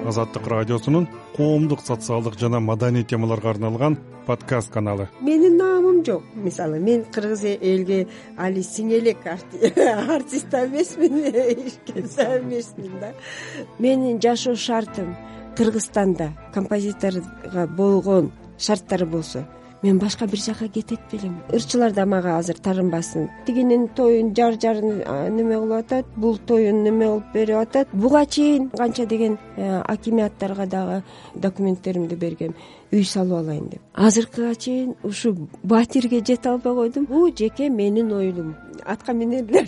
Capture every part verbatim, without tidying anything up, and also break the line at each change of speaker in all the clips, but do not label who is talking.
Азаттык радиосунун коомдук, социалдык жана маданий темаларга арналган подкаст каналы.
Менин наамым жок. Мисалы, мен кыргыз элге али сиңелек артист эмесмин, эчкимсе эмесмин да. Менин жашоо шартым Кыргызстанда композиторго болгон шарттары болсо, мен башка бир жака кетет белем. Ырчылар да мага азыр тарынбасын. Тигинин тоюн жар жарын неме кылып атат, бул тоюн неме кылып берип атат. Буга чейин канча деген акимияттарга дагы документтеримди бергем, үй салып алайын деп. Азыркыга чейин ушу батирге жете албай койдум. Бул жеке менин оюм. Атка минерлер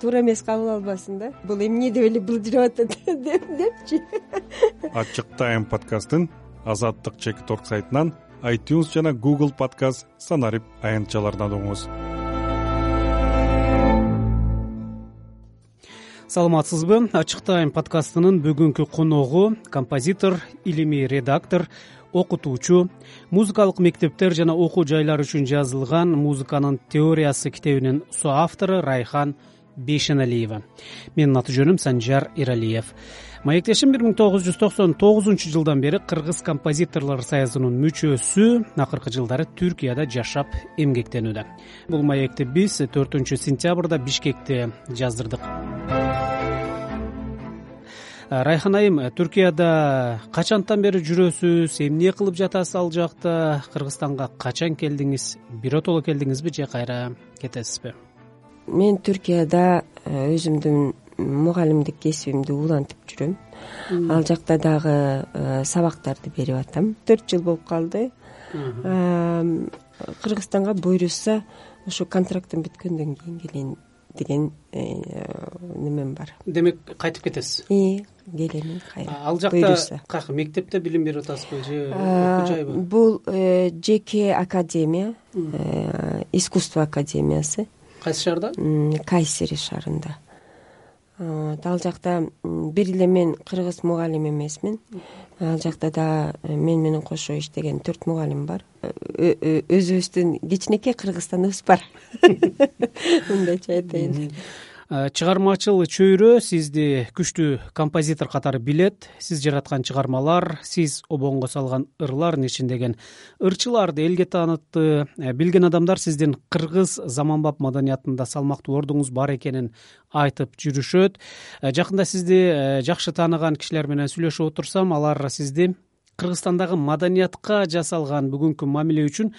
туура эмес кабыл албасын да. Бул эмне деп эле былжырап атат депчи.
Ачык Тайм подкастын Азаттык чек торг сайтынан, iTunes жана Google подкаст санарип аянтчаларынан угуңуз.
Саламатсызбы? Ачык Тайм подкастынын бүгүнкү коногу композитор, илимий редактор, окутуучу, музыкалык мектептер жана окуу жайлар үчүн жазылган музыканын теориясы китебинин соавтору Райхан Бейшеналиева. Менин аты жөнүм Санжар Иралиев. Маектешим бир миң тогуз жүз токсон тогузунчу жылдан бери Кыргыз композиторлор союзунун мүчөсү, акыркы жылдары Түркияда жашап эмгектенүүдө. Бул маекти биз төртүнчү сентябрда Бишкекте жаздырдык. Райхан айым, Түркияда качантан бери жүрөсүз, эмне кылып жатасыз ал жакта, Кыргызстанга качан келдиңиз, биротоло келдиңизби же кайра кетесизби?
Мен Түркияда өзүмдүн мугалимдик кесибимди улантып жүрөм. Ал жакта дагы сабактарды берип атам. төрт жыл болуп калды. Кыргызстанга буйрушса, ошо контрактым бүткөндөн кийин келейин деген немем бар.
Демек, кайтып кетесиз?
Ии, келемин кайра.
Ал жакта как, мектепте билим берип атасызбы же окуу жайбы?
Бул жеке академия, искусство академиясы.
Кайсы шаарда?
Кайсери шаарында. Ал жакта бир эле мен кыргыз мугалим эмесмин. Ал жакта да мен менен кошо иштеген төрт мугалим бар. Өзүбүздүн кичинекей Кыргызстаныбыз бар. Мындайча айтайын.
Чыгармачыл чөйрө сизди күчтүү композитор катары билет. Сиз жараткан чыгармалар, сиз обонго салган ырлардын ичиндеген ырчыларды элге таанытты. Билген адамдар сиздин кыргыз заманбап маданиятында салмактуу ордуңуз бар экенин айтып жүрүшөт. Жакында сизди жакшы тааныган кишилер менен сүйлөшүп отурсам, алар сизди Кыргызстандагы маданиятка жасалган бүгүнкү мамиле үчүн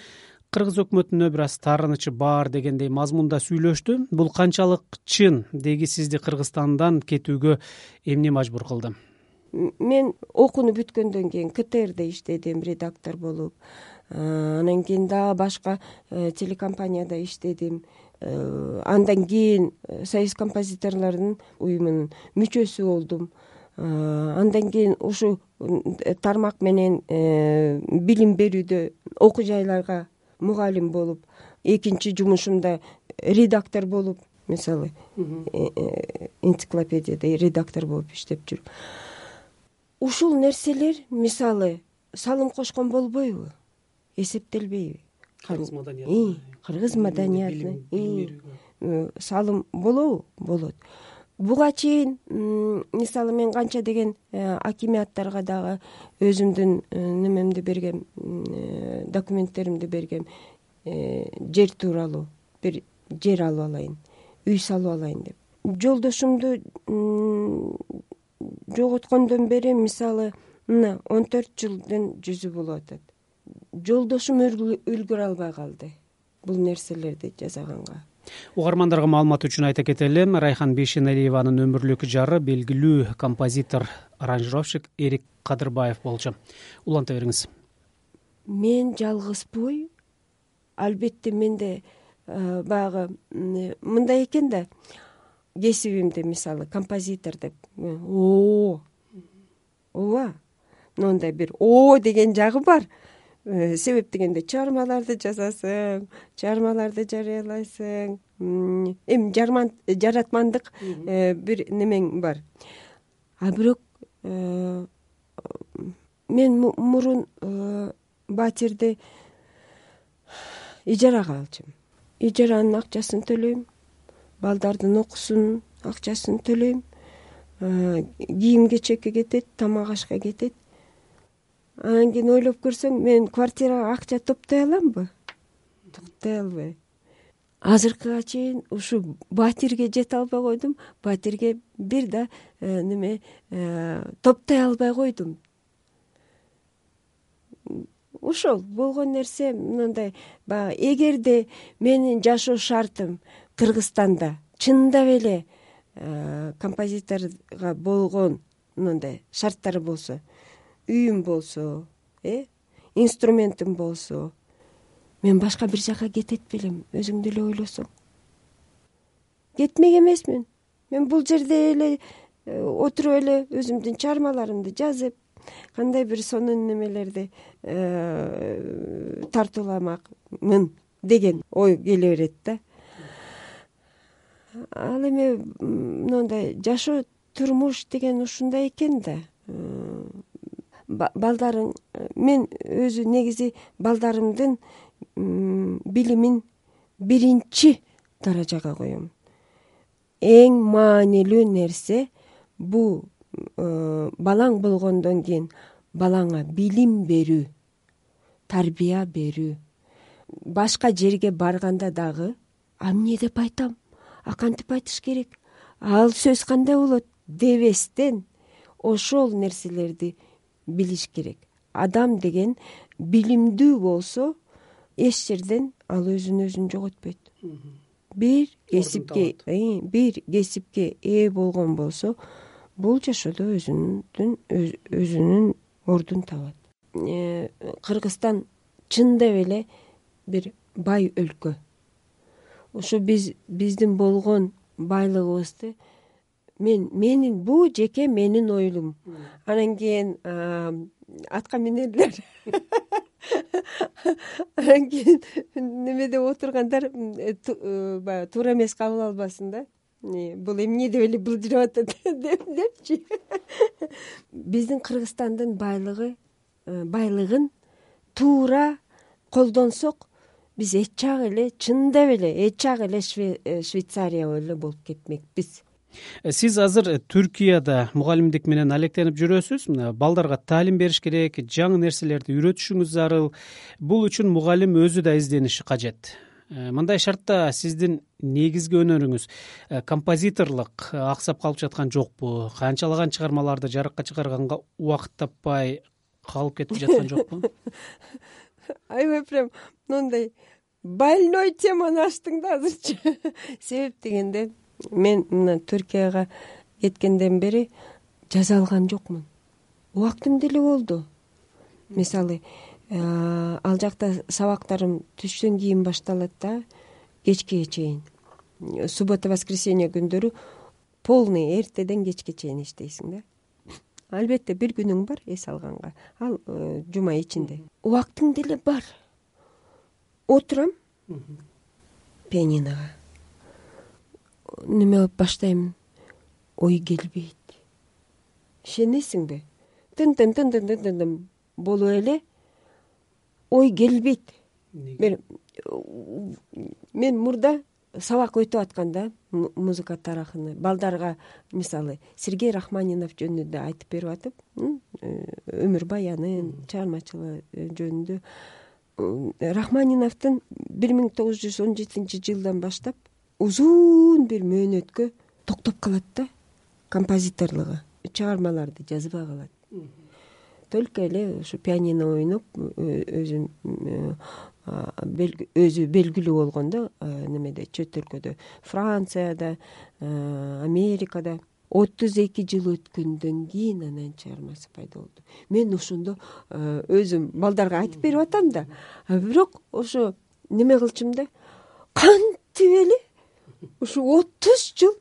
Кыргыз өкмөтүнө бир аз таарынычы бар дегендей мазмунда сүйлөштү. Бул канчалык чын? Деги сизди Кыргызстандан кетүүгө эмне мажбур кылды?
Мен окууну бүткөндөн кийин ка тэ эрде иштедим, редактор болуп. Анан кийин дагы башка телекомпанияда иштедим. Андан кийин Союз композиторлорунун уюмунун мүчөсү болдум. Андан кийин ушу тармак менен билим берүүдө окуу жайларга мугалим болуп, экинчи жумушумда редактор болуп, мисалы, энциклопедияда редактор болуп иштеп жүрүп. Ушул нерселер, мисалы, салым кошкон болбойбу? Эсептелбейби?
Кыргыз маданиятына.
Кыргыз маданиятына салым болобу? Болот. Буга чейин, мисалы, мен канча деген акимияттарга дагы өзүмдүн немемди бергем, документтеримди бергем, жер тууралуу, бир жер алып алайын, үй салып алайын деп. Жолдошумду жоготкондон бери, мисалы, мына он төрт жылдын жүзү болуп атат. Жолдошум үлгүрө албай калды бул нерселерди жасаганга.
Угармандарга маалымат үчүн айта кетелим, Райхан Бейшеналиеванын өмүрлүк жары белгилүү композитор, аранжировщик Эрик Кадырбаев болчу. Уланта бериңиз.
Мен жалгызбой, албетте менде баягы мындай экен да, кесибимде, мисалы, композитор деп, о, ооба, мындай бир о деген жагы бар. Себеп дегенде чыгармаларды жазасың, чыгармаларды жарыялайсың, эми жаратмандык бир немең бар. А бирок мен мурун батирди ижарага алчумун. Ижаранын акчасын төлөйм, балдардын окуусунун акчасын төлөйм, кийим кечекке кетет, тамак ашка кетет. Анан кийин ойлоп көрсөң, мен квартирага акча топтой аламбы? Топтой албайм. Азыркыга чейин ушу батирге жете албай койдум. Батирге бир да неме топтой албай койдум. Ошол болгон нерсе мындай. Баягы эгерде менин жашоо шартым Кыргызстанда чындап эле композиторго болгон мындай шарттары болсо, үйүм болсо, э инструментим болсо, мен башка бир жака кетет белем, өзүң деле ойлосоң. Кетмек эмесмин. Мен бул жерде эле отуруп эле өзүмдүн чыгармаларымды жазып, кандай бир сонун немелерди тартууламакмын деген ой келе берет да. Ал эми мындай жашоо, турмуш деген ушундай экен да. Балдарың, мен өзү негизи балдарымдын билимин биринчи даражага коем. Эң маанилүү нерсе бул балаң болгондон кийин балаңа билим берүү, тарбия берүү. Башка жерге барганда дагы, а эмне деп айтам? А кантип айтыш керек? Ал сөз кандай болот дебестен ошол нерселерди билиш керек. Адам деген билимдүү болсо, эч жерден ал өзүн өзүн жоготпойт. Бир кесипке, бир кесипке ээ болгон болсо, бул жашоодо өзүнүн өзүнүн ордун табат. Кыргызстан чындап эле бир бай өлкө. Ошо биз биздин болгон байлыгыбызды мен менин бул жеке менин оюм. Анан кийин атка минерлер. Анан кийин немеде отургандар баягы туура эмес кабыл албасын да. Бул эмне деп эле былжырап атат депчи. Биздин Кыргызстандын байлыгы, байлыгын туура колдонсок, биз эч жак эле, чындап эле эч жак эле Швейцария эле болуп кетмекпиз.
Сиз азыр Түркияда мугалимдик менен алектенип жүрөсүз. Балдарга таалим бериш керек, жаңы нерселерди үйрөтүшүңүз зарыл. Бул үчүн мугалим өзү да издениши кажет. Мындай шартта сиздин негизги өнөрүңүз композиторлук аксап калып жаткан жокпу? Канчалаган чыгармаларды жарыкка чыгарганга убакыт таппай калып кетип жаткан жокпу?
Аябай прям мындай больной теманы ачтың да азырчы. Себеп дегенде, мен мына Түркияга кеткенден бери жаза алган жокмун. Убактым деле болду. Мисалы, ал жакта сабактарым түштөн кийин башталат да, кечке чейин. Суббота, воскресенье күндөрү полный эртеден кечке чейин иштейсиң да. Албетте бир күнүң бар эс алганга. Ал жума ичинде. Убактың деле бар. Отурам пианинога. Неме алып баштайм, ой келбейт. Ишенесиңби? Тын-тын-тын-тын-тын болуп эле ой келбейт. Мен мурда сабак өтүп атканда музыка тарыхыны балдарга, мисалы, Сергей Рахманинов жөнүндө айтып берип атып, өмүр баянын, чыгармачылыгы жөнүндө. Рахманиновдун бир миң тогуз жүз он жетинчи жылдан баштап узун бир мөөнөткө токтоп калат да композиторлугу. Чыгармаларды жазбай калат. Только эле ушу пианино ойноп, өзү өзү белгилүү болгондо, немеде, чет өлкөдө, Францияда, Америкада отуз эки жыл өткөндөн кийин анан чыгармасы пайда болду. Мен ошондо өзүм балдарга айтып берип атам да, бирок ошо неме кылчумун да, кантип эле ушу отуз жыл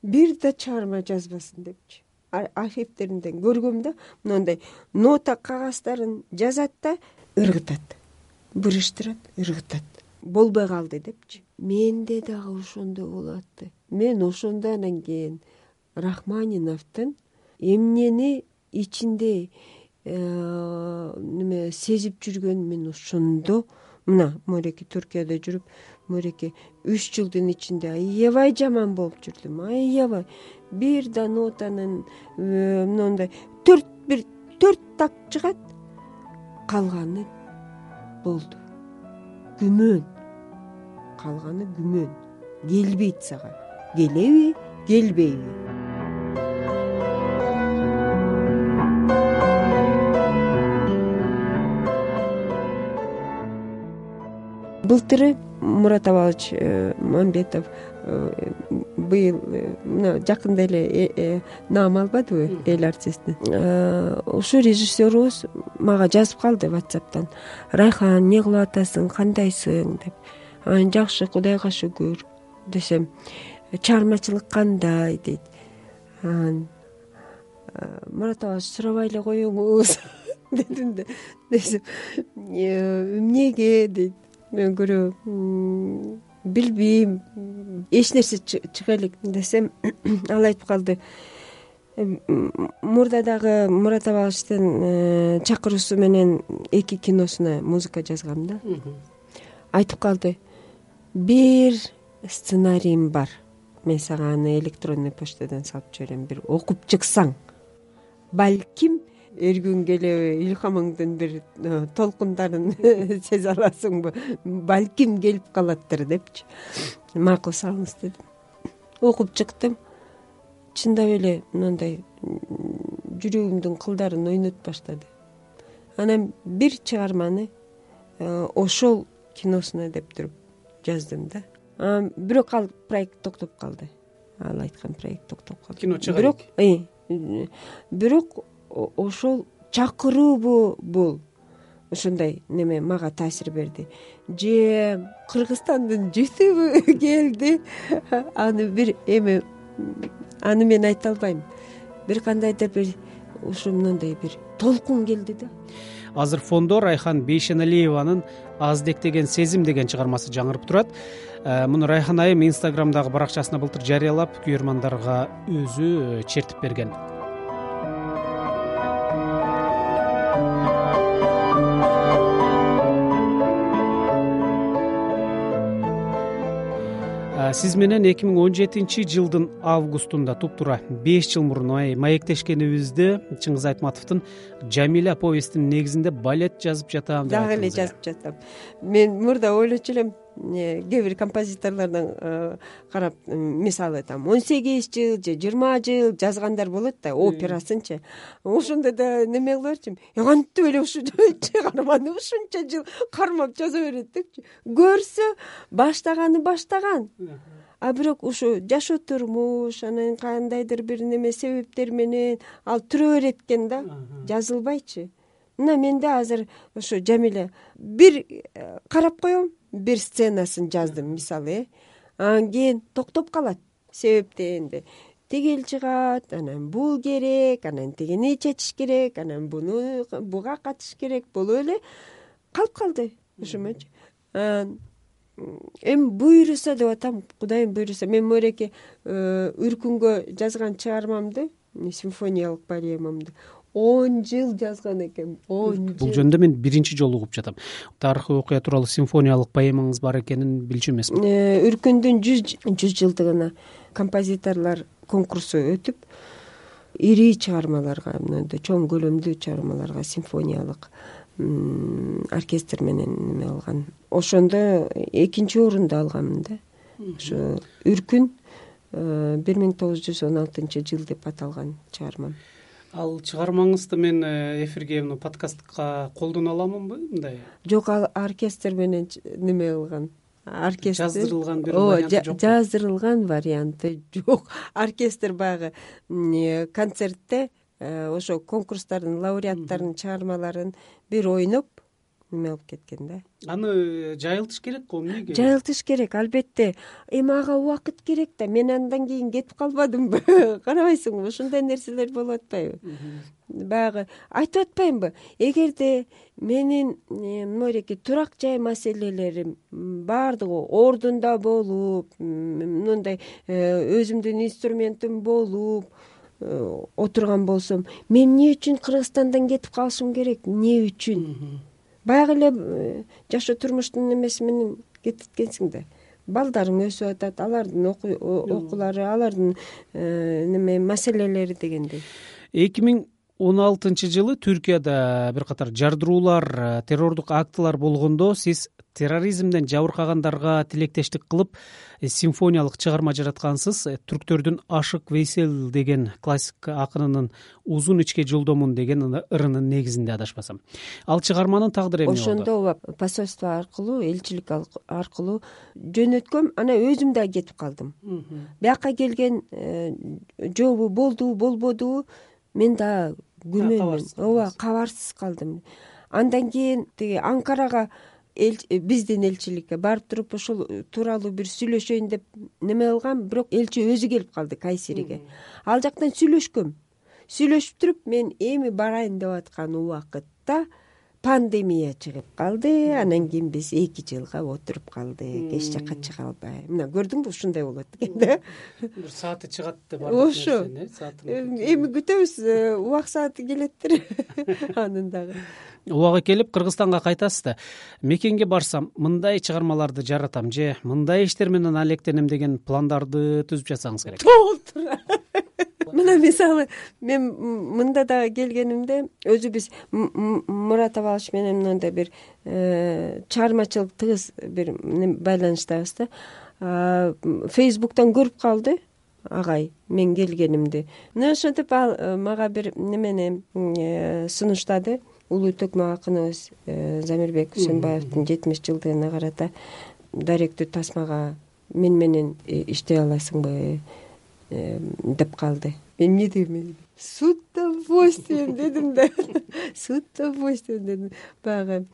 бир да чыгарма жазбасын депчи. Архивтеринден көргөм да, мындай нота кагаздарын жазат да, ыргытат, бурыштырат, ыргытат. Болбой калды депчи. Менде дагы ошондой болуп атты. Мен ошондо анан кийин Рахманиновдун эмнени ичинде неме сезип жүргөнүн мен ошондо, мына Мореки Түркияда жүрүп, мореке үч жылдын ичинде аябай жаман болуп жүрдүм, аябай. Бир да нотанын мындай төрт бир төрт так чыгат, калганы болду күмөн, калганы күмөн. Келбейт сага, келеби, келбейби. Былтыры Мурат Абалович Мамбетов быйыл мына жакында эле наам албадыбы эл артистин. Ушул режиссерубуз мага жазып калды WhatsApp'тан: Райхан, эмне кылып атасың, кандайсың деп. Анан жакшы, Кудайга шүгүр десем, чыгармачылык кандай дейт. Анан Мурат Абалович сурабай эле коюңуз дедим да. Десем, эмнеге дейт. Мен көрөм, билбейм, эч нерсе чыга элек десем, ал айтып калды: мурда дагы Мурат Абаловичтин чакыруусу менен эки киносуна музыка жазгам да. Айтып калды: бир сценарийим бар, мен сага аны электронный почтадан салып жиберем, бир окуп чыксаң, балким эр күн келеби илхамыңдын бир толкундарын сезе аласыңбы, балким келип калаттыр депчи. Макул, салыңыз дедим. Окуп чыктым. Чындап эле мындай жүрөгүмдүн кылдарын ойнотуп баштады. Анан бир чыгарманы ошол киносуна деп туруп жаздым да. Анан бирок ал проект токтоп калды. Ал айткан проект токтоп калды.
Кино чыга
Бирок, бирок ошол чакыруубу бул ошондой неме мага таасир берди. Же Кыргызстандын жүтүбү келди. Аны бир эме, аны мен айта албайм. Бир кандайдыр бир ушу мындай бир толкун келди да.
Азыр фондо Райхан Бейшеналиеванын Аздек деген сезим деген чыгармасы жаңырып турат. Муну Райхан айым Инстаграмдагы баракчасына былтыр жарыялап, күйөрмандарга өзү чертип берген. Сиз менен эки миң он жетинчи жылдын августунда туптура беш жыл мурун маектешкенибизде Чыңгыз Айтматовдун Жамиля повестинин негизинде балет жазып жатам деп
дагы эле жазып жатам. Мен мурда ойлочу элем, кээ бир композиторлордон карап, мисалы там он сегиз жыл же жыйырма жыл жазгандар болот да, операсынчы. Ошондо да неме кылып берчүм. Кантип эле ушу чыгарманы ушунча жыл кармап жаза берет депчи. Көрсө баштаганы баштаган. А бирок ушу жашоо турмуш, анан кандайдыр бир неме себептер менен ал түрө берет экен да, жазылбайчы. Мына менде азыр ошо Жамиля бир карап коем, бир сценасын жаздым мисалы, анан кийин токтоп калат. Себеп дегенде тигил чыгат, анан бул керек, анан тигини чечиш керек, анан буну буга катыш керек болуп эле калып калды ошомочу. Эми буйруса деп атам, Кудайым буйруса. Мен мореке Үркүнгө жазган чыгармамды, симфониялык поэмамды он жыл жазган экенмин. он жыл.
Бул жөнүндө мен биринчи жолу угуп жатам. Тарыхый окуя тууралуу симфониялык поэмаңыз бар экенин билчү эмесмин.
Үркүндүн жүз жылдыгына композиторлор конкурсу өтүп, ири чыгармаларга, мындай чоң көлөмдүү чыгармаларга симфониялык оркестр менен неме алган. Ошондо экинчи орунду алганмын да. Ошо Үркүн бир миң тогуз жүз он алтынчы жыл деп аталган чыгармам.
Ал чыгармаңызды мен эфирге, мына подкастка колдоно аламынбы мындай?
Жок, ал оркестр менен неме кылган. Оркестр
жаздырылган бир варианты жок.
Жаздырылган варианты жок. Оркестр баягы концертте ошо конкурстардын лауреаттарынын чыгармаларын бир ойноп неме алып кеткен да.
Аны жайылтыш керек го, эмнеге?
Жайылтыш керек, албетте. Эми ага убакыт керек да. Мен андан кийин кетип калбадымбы? Карабайсыңбы? Ушундай нерселер болуп атпайбы? Баягы айтып атпаймынбы? Эгерде менин мореке турак жай маселелерим баардыгы ордунда болуп, мындай өзүмдүн инструментим болуп отурган болсом, мен эмне үчүн Кыргызстандан кетип калышым керек? Эмне үчүн? Баягы эле жашоо турмуштун эмеси менен кетиткенсиң да. Балдарың өсүп атат, алардын окуулары, алардын неме маселелери дегендей.
эки миң он алтынчы жылы Түркияда бир катар жардыруулар, террордук актылар болгондо сиз терроризмден жабыркагандарга тилектештик кылып симфониялык чыгарма жараткансыз. Түрктөрдүн Ашык Вейсел деген классик акынынын Узун ичке жолдомун деген ырынын негизинде адашпасам. Ал чыгарманын тагдыры эмне болду?
Ошондо посольство аркылуу, элчилик аркылуу жөнөткөм, анан өзүм да кетип калдым. Бияка келген жообу болдубу, болбодубу, мен да күмөнмүн. Ооба, кабарсыз калдым. Андан кийин тиги Анкарага биздин элчиликке барып туруп ошол тууралуу бир сүйлөшөйүн деп неме кылгам, бирок элчи өзү келип калды Кайсериге. Ал жактан сүйлөшкөм. Сүйлөшүп туруп мен эми барайын деп аткан убакытта пандемия чыгып калды. Анан кийин биз эки жылга отуруп калдык, эч жака чыга албай. Мына көрдүңбү, ушундай болот экен да.
Бир сааты чыгат деп
ошо эми күтөбүз, убак сааты келеттир анын дагы.
Убагы келип Кыргызстанга кайтасыз да. Мекенге барсам мындай чыгармаларды жаратам же мындай иштер менен алектенем деген пландарды түзүп жатсаңыз керек.
Мына мисалы мен мында да келгенимде өзү биз Мурат Абалыч менен мындай бир чыгармачылык тыгыз бир байланыштабыз да. Фейсбуктан көрүп калды агай мен келгенимди. Мына ошентип ал мага бир немени сунуштады. Улуу төкмө акыныбыз Замирбек Үсөнбаевдин жетимиш жылдыгына карата даректүү тасмага мен менен иштей аласыңбы деп калды. Мен эмне дегем? С удовольствием дедим да. С удовольствием дедим. Баягы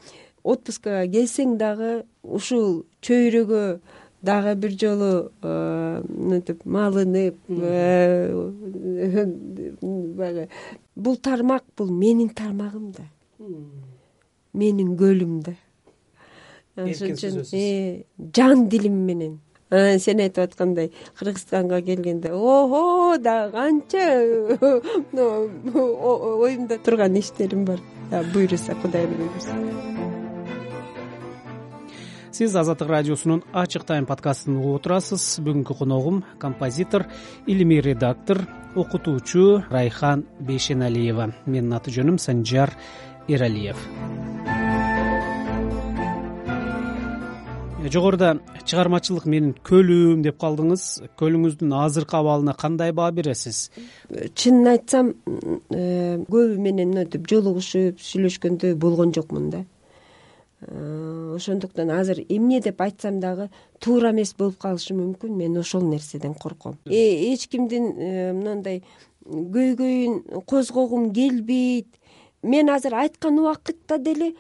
отпускага келсең дагы ушул чөйрөгө дагы бир жолу мынтип малынып, баягы бул тармак бул менин тармагым да. Менин көлүм да. Ошон үчүн жан дилим менен. Сен айтып аткандай Кыргызстанга келгенде ого да канча оюмда турган иштерим бар. Буйруса Кудайдын буйрусу.
Сиз Азаттык радиосунун Ачык тайм подкастын угуп отурасыз. Бүгүнкү коногум композитор, илимий редактор, окутуучу Райхан Бейшеналиева. Менин аты жөнүм Санжар Эралиев. Жогоруда чыгармачылык менин көлүм деп калдыңыз. Көлүңүздүн азыркы абалына кандай баа бересиз?
Чынын айтсам, көбү менен мынтип жолугушуп сүйлөшкөндө болгон жокмун да. Ошондуктан азыр эмне деп айтсам дагы туура эмес болуп калышы мүмкүн. Мен ошол нерседен корком. Эч кимдин мындай көйгөйүн козгогум келбейт. Мен азыр айткан убакытта деле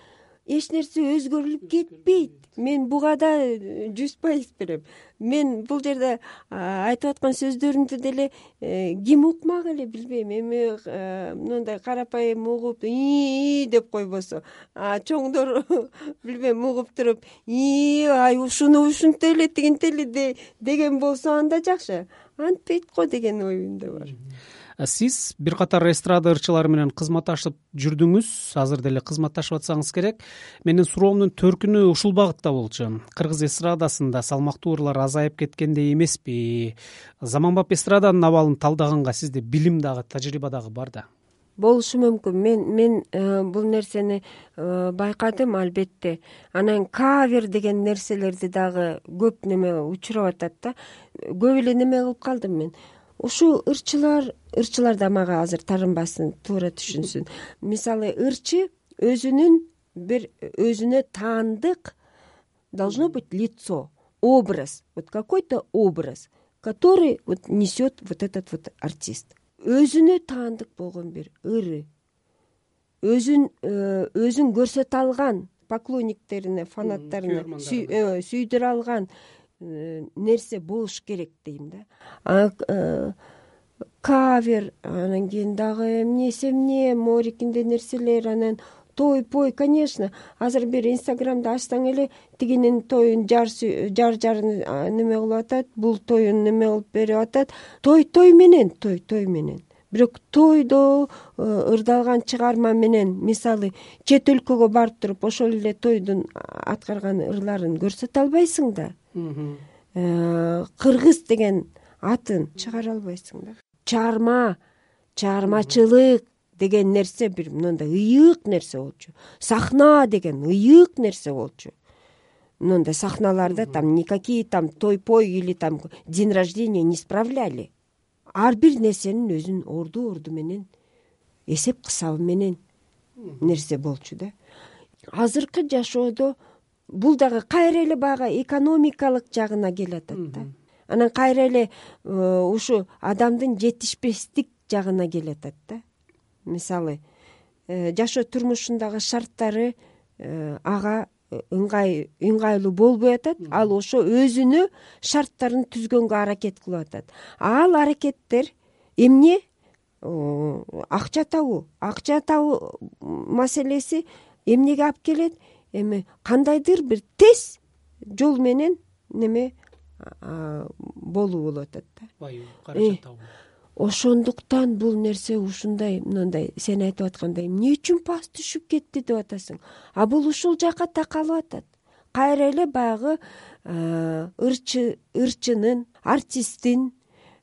эч нерсе өзгөрүлүп кетпейт. Мен буга да жүз пайыз берем. Мен бул жерде айтып аткан сөздөрүмдү деле ким укмак эле билбейм. Эми мындай карапайым угуп и деп койбосо, чоңдор билбейм угуп туруп и ай ушуну ушинте эле тигинте эле деген болсо анда жакшы. Антпейт го деген оюмда бар.
Сиз бир катар эстрада ырчылары менен кызматташып жүрдүңүз, азыр деле кызматташып атсаңыз керек. Менин суроомдун төркүнү ушул багытта болчу. Кыргыз эстрадасында салмактуу ырлар азайып кеткендей эмеспи? Заманбап эстраданын абалын талдаганга сизде билим дагы, тажрыйба дагы бар да.
Болушу мүмкүн. Мен мен бул нерсени байкадым албетте. Анан кавер деген нерселерди дагы көп неме учурап атат да. Көп эле неме кылып калдым мен. Ушул ырчылар, ырчылар да мага азыр тарынбасын, туура түшүнсүн. Мисалы, ырчы өзүнүн бир өзүнө таандык должно быть лицо, образ, вот какой-то образ, который вот несет вот этот вот артист. Өзүнө таандык болгон бир ыры, өзүн өзүн көрсөтө алган поклонниктерине, фанаттарына сүйдүрө алган нерсе болуш керек дейм да. Кавер, анан кийин дагы эмнеси эмне, морикинде нерселер, анан той, пой, конечно. Азыр бир Инстаграмда ачсаң эле тигинин тоюн жар жар жарын неме кылып атат, бул тоюн неме кылып берип атат. Той той менен, той той менен. бирок тойдо ырдалган чыгарма менен мисалы чет өлкөгө барып туруп ошол эле тойдун аткарган ырларын көрсөтө албайсың да. Кыргыз деген атын чыгара албайсың да. Чыгарма, чыгармачылык деген нерсе бир мындай ыйык нерсе болчу. Сахна деген ыйык нерсе болчу. Мындай сахналарда там никакие там той-пой или там день рождения не справляли. Ар бир нерсенин өзүнүн орду-орду менен, эсеп кысабы менен нерсе болчу да. Азыркы жашоодо бул дагы кайра эле баягы экономикалык жагына келатат да. Анан кайра эле ушу адамдын жетишпестик жагына келатат да. Мисалы, жашоо турмушундагы шарттары ага ыңгай ыңгайлуу болбой атат. Ал ошо өзүнө шарттарын түзгөнгө аракет кылып атат. Ал аракеттер эмне? Акча табуу. Акча табуу маселеси эмнеге алып келет? Эми кандайдыр бир тез жол менен неме болуу болуп атат да. Байып, каражат табуу. Ошондуктан бул нерсе ушундай мындай сен айтып аткандай эмне үчүн паст түшүп кетти деп атасың. А бул ушул жака такалып атат. Кайра эле баягы ырчы ырчынын, артисттин,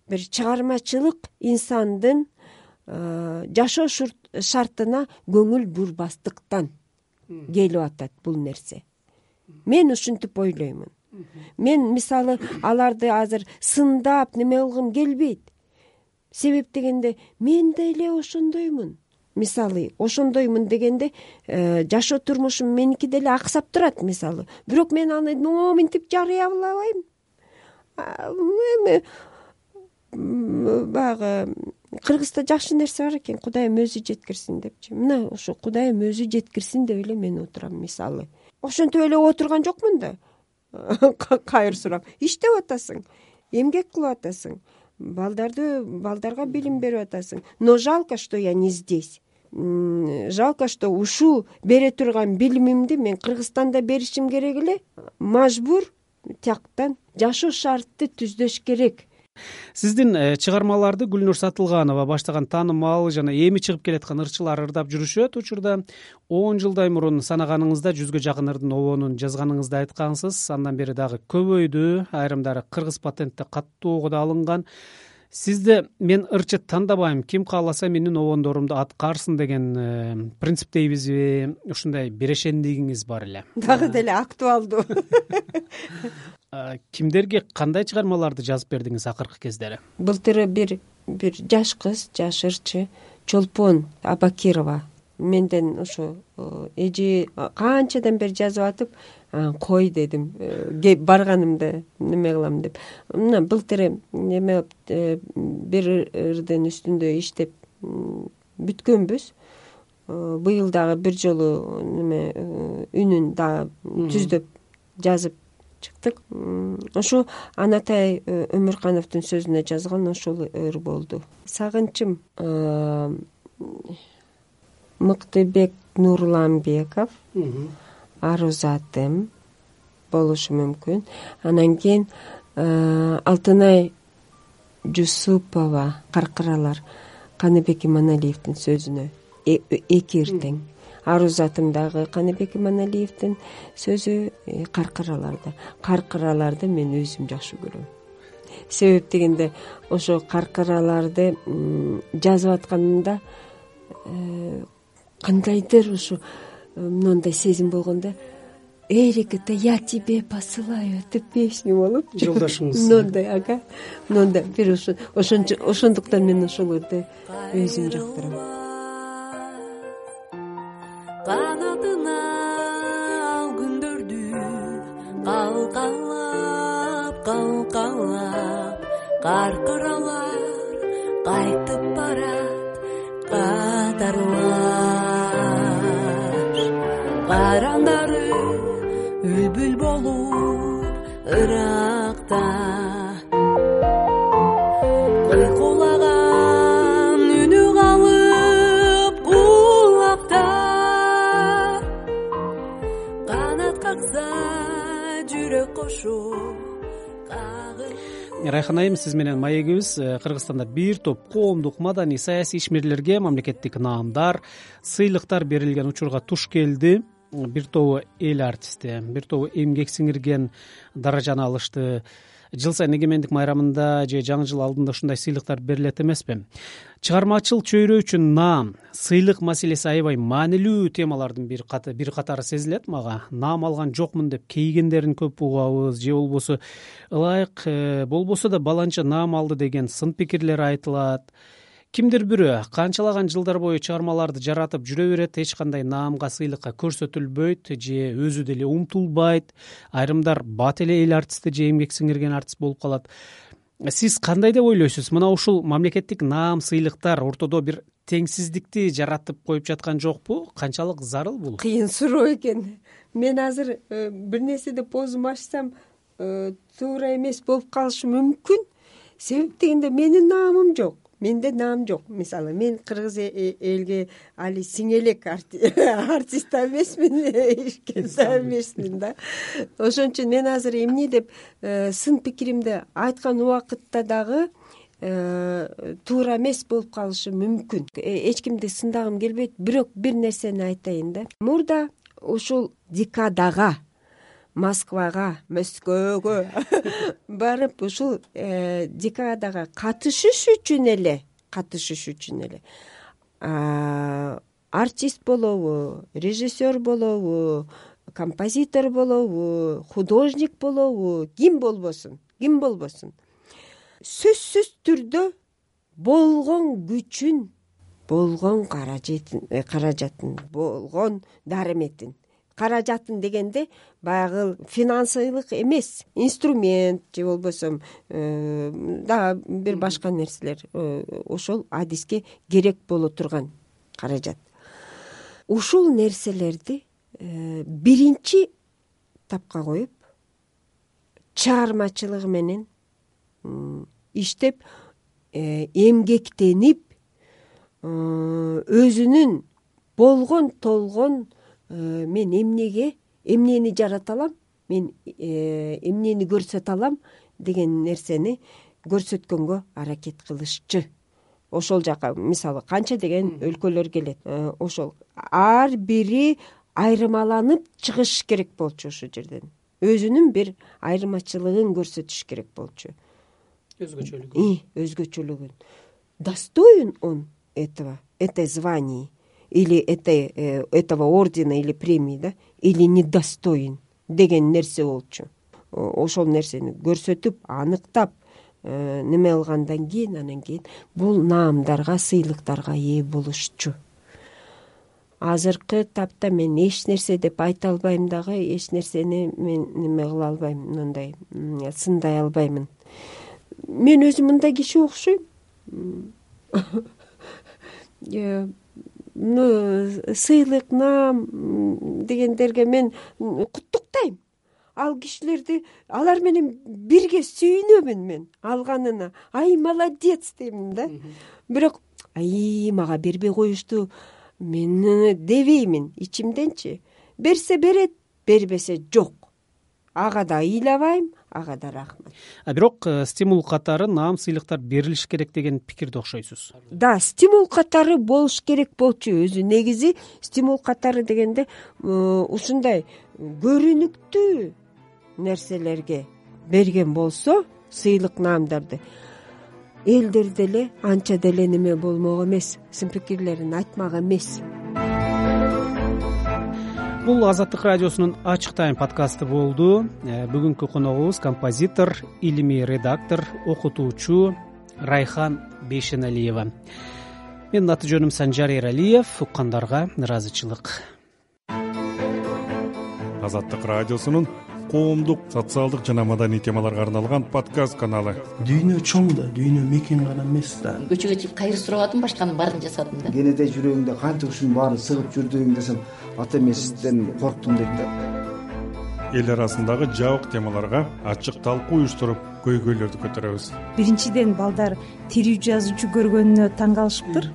бир чыгармачылык инсандын жашоо шартына көңүл бурбастыктан келип атат бул нерсе. Мен ушинтип ойлоймун. Мен мисалы аларды азыр сындап неме кылгым келбейт. Себеп дегенде мен деле ошондоймун. Мисалы ошондоймун дегенде жашоо турмушум меники деле аксап турат мисалы. Бирок мен аны моминтип жарыялабайм. Эми баягы Кыргызда жакшы нерсе бар экен, Кудайым өзү жеткирсин депчи. Мына ошо Кудайым өзү жеткирсин деп эле мен отурам мисалы. Ошентип эле отурган жокмун да. Кайыр сурап иштеп атасың, эмгек кылып атасың. Балдарды балдарга билим берип атасың. Но жалко, что я не здесь. Жалко, что ушул бере турган билимимди мен Кыргызстанда беришим керек эле. Мажбур тияктан жашоо шартты түздөш керек.
Сиздин чыгармаларды Гүлнур Сатылганова баштаган таанымал жана эми чыгып келаткан ырчылар ырдап жүрүшөт. Учурда он жылдай мурун санаганыңызда жүзгө жакын ырдын обонун жазганыңызды айткансыз. Андан бери дагы көбөйдү. Айрымдары кыргыз патентте каттуу да алынган. Сизде мен ырчы тандабайм, ким кааласа менин обондорумду аткарсын деген принциптейбизби? Ушундай берешендигиңиз бар эле.
Дагы деле актуалдуу.
Кимдерге кандай чыгармаларды жазып бердиңиз акыркы кездери?
Былтыры бир бир жаш кыз, жаш ырчы Чолпон Абакирова менден ошо эже канчадан бери жазып атып, кой дедим, барганымда неме кылам деп. Мына былтыры неме бир ырдын үстүндө иштеп бүткөнбүз. Быйыл дагы бир жолу неме үнүн дагы түздөп жазып чыктык. Ошо Анатай Өмүркановдун сөзүнө жазган ошол ыр болду. Сагынчым Мыктыбек Нурланбеков, Ару затым болушу мүмкүн. Анан кийин Алтынай Жусупова Каркыралар, Каныбек Иманалиевдин сөзүнө эки иртең. Ару затым дагы Каныбек Иманалиевдин сөзү, Каркыраларда. Каркыраларды мен өзүм жакшы көрөм. Себеп дегенде ошо каркыраларды жазып атканымда кандайдыр ушу мындай сезим болгондо, Эрика-то я тебе посылаю эту песню болуп
жолдошуңуз.
Мындай, ага. Мындай бир ошо ошондуктан мен ошолорду өзүм жактырам.
Канатына ал күндөрдү калкалап, калкалап, каркыралар кайтып барат катарлар. Карандары үлбүл болуп ыракта, кыйкулаган үнү калып кулакта. Канат какса жүрөк кошо.
Райхан айым, сиз менен маегибиз Кыргызстанда бир топ коомдук, маданий, саясий ишмерлерге мамлекеттик наамдар, сыйлыктар берилген учурга туш келди. Бир тобу эл артисти, бир тобу эмгек сиңирген даражаны алышты. Жыл сайын эгемендик майрамында же жаңы жыл алдында ушундай сыйлыктар берилет эмеспи? Чыгармачыл чөйрө үчүн наам, сыйлык маселеси аябай маанилүү темалардын бир катары сезилет мага. Наам алган жокмун деп кейгендерин көп угабыз, же болбосо ылайык болбосо да баланча наам алды деген сын пикирлер айтылат. Кимдир бирөө канчалаган жылдар бою чыгармаларды жаратып жүрө берет, эч кандай наамга, сыйлыкка көрсөтүлбөйт же өзү деле умтулбайт. Айрымдар бат эле эл артисти же эмгек сиңирген артист болуп калат. Сиз кандай деп ойлойсуз? Мына ушул мамлекеттик наам, сыйлыктар ортодо бир теңсиздикти жаратып коюп жаткан жокпу? Канчалык зарыл бул?
Кыйын суроо экен. Мен азыр бир нерседе позум ачсам туура эмес болуп калышы мүмкүн. Себеп дегенде менин наамым жок. Менде наам жок. Мисалы, мен кыргыз элге али сиңелек артист эмесмин, эч эмесмин да. Ошон үчүн мен азыр эмне деп сын пикиримди айткан убакытта дагы туура эмес болуп калышы мүмкүн. Эч кимди сындагым келбейт, бирок бир нерсени айтайын да. Мурда ушул декадага, Москвага, Москвага барып ушул декадага катышыш үчүн эле, катышыш үчүн эле артист болобу, режиссер болобу, композитор болобу, художник болобу, ким болбосун, ким болбосун. Сөзсүз түрдө болгон күчүн, болгон каражатын, каражатын, болгон дарыметин, каражатын дегенде баягы финансылык эмес, инструмент же болбосо дагы бир башка нерселер ошол адиске керек боло турган каражат. Ушул нерселерди биринчи тапка коюп, чыгармачылыгы менен иштеп, эмгектенип, өзүнүн болгон толгон мен эмнеге, эмнени жарата алам, мен эмнени көрсөтө алам деген нерсени көрсөткөнгө аракет кылышчу. Ошол жака мисалы канча деген өлкөлөр келет. Ошол ар бири айырмаланып чыгыш керек болчу ошол жерден. Өзүнүн бир айырмачылыгын көрсөтүш керек болчу. Өзгөчөлүгүн. Өзгөчөлүгүн. Достоин он этого, этой звания. Или этой, этого ордена или премии, да, или недостоин деген нерсе болчу. Ошол нерсени көрсөтүп, аныктап, неме алгандан кийин, анан кийин бул наамдарга, сыйлыктарга ээ болушчу. Азыркы тапта мен эч нерсе деп айта албайм дагы, эч нерсени мен неме кыла албайм, мындай сындай албаймын. Мен өзүм мындай киши окшойм. Сыйлык, наам дегендерге мен куттуктайм. Ал кишилерди, алар менен бирге сүйүнөмүн мен алганына. Ай, молодец деймин да. Бирок ай, мага бербей коюшту мен дебеймин ичимденчи. Берсе берет, бербесе жок. Ага да ыйлабайм, ага да рахмат.
А бирок стимул катары наам, сыйлыктар берилиш керек деген пикирде окшойсуз.
Да, стимул катары болуш керек болчу. Өзү негизи стимул катары дегенде ушундай көрүнүктүү нерселерге берген болсо, сыйлык, наамдарды, элдер деле анча деле неме болмок эмес, сын пикирлерин айтмак эмес.
Бул Азаттык радиосунун Ачык тайм подкасты болду. Бүгүнкү коногубуз композитор, илимий редактор, окутуучу Райхан Бейшеналиева. Менин аты жөнүм Санжар Эралиев. Уккандарга ыраазычылык.
Азаттык радиосунун коомдук, социалдык жана маданий темаларга арналган подкаст каналы.
Дүйнө чоң да, дүйнө мекен гана эмес да.
Көчөгө чыгып кайыр сурабадым, башканын баарын жасадым да.
Кенете жүрөгүңдө канча ушунун баарын сыгып жүрдүң десем, ата эмесизден корктум дейт да.
Эл арасындагы жабык темаларга ачык талкуу уюштуруп, көйгөйлөрдү көтөрөбүз.
Биринчиден балдар тирүү жазуучу көргөнүнө таң калышыптыр.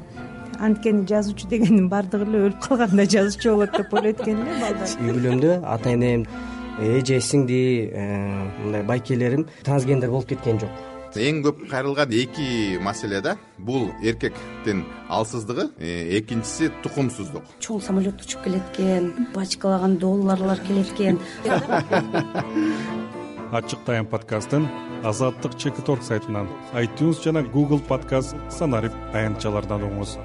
Анткени жазуучу дегендин баардыгы эле өлүп калганда жазуучу болот деп ойлойт экен эле балдар.
Үй бүлөмдө ата энем, эже, сиңди, мындай байкелерим трансгендер болуп кеткен жок. эң көп кайрылган эки маселе да, бул эркектин алсыздыгы, экинчиси тукумсуздук.
Чоң самолет учуп келет экен, бачкалаган долларлар келет экен.
Ачык тайм подкастын Азаттык чекит орг сайтынан, iTunes жана Google подкаст Санарип аянтчалардан угуңуз.